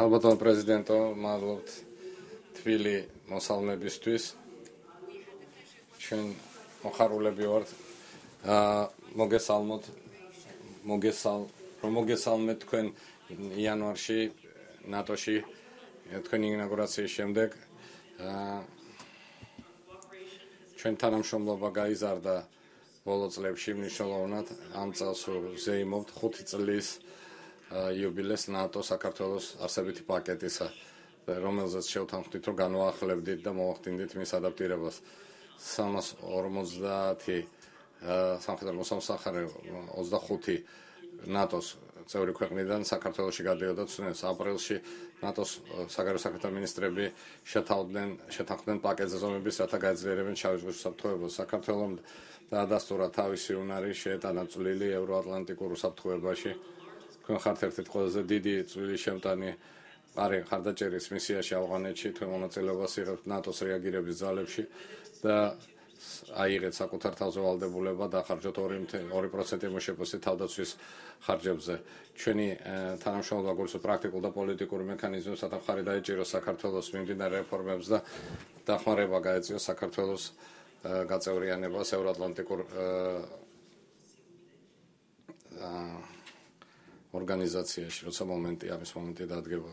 Ალბათო პრეზიდენტო, მადლობთ თბილი მოსალმებისთვის. ჩვენ მოხარულები ვართ. მოგესალმეთ თქვენ იანვარში ნატოში თქვენი ინაugurაციის შემდეგ. ჩვენ თანამშრომლობა გაიზარდა ბოლო წლებში მნიშვნელოვნად. ამ წელს ვზეიმობთ 5 წლის იუბილეს ნატო საქართველოს არსებითი პაკეტისა, რომელზეც შევთანხმდით, რომ განვაახლებდით და მოვახდინდით მის ადაპტირებას. 350 სამხედრო მოსამსახარე 25 ნატოს წევრი ქვეყნიდან საქართველოში გადიოდა ცნეს. აპრილში ნატოს საგარეო საქმეთა მინისტრები შეთანხმდნენ პაკეტზე ზომების, რათა გაეძლიერებენ შავი ზღვის უსაფრთხოებას. საქართველომ დაადასტურა თავისი უნარი შეეტანა წვლილი ევროატლანტიკურ უსაფრთხოებაში. თქვენ ხართ ერთ-ერთი ყველაზე დიდი წვლილი შემტანი ხარდაჭერის მისიაში ავღანეთში, თქვენ მონაწილეობას იღებთ ნატოს რეაგირების ძალებში და აიღეთ საკუთარ თავზე ვალდებულება დახარჯოთ 2% მოშეფოსი თავდაცვის ხარჯებზე. ჩვენი თანამშრომლობა გულისხმობს პრაქტიკულ და პოლიტიკურ მექანიზმებს, რათა მხარი დაეჭიროს საქართველოს მიმდინარე რეფორმებს და დახმარება გაეწიოს საქართველოს გაწევრიანებას ევროატლანტიკურ ორგანიზაციაში, როცა ამის მომენტი დადგება.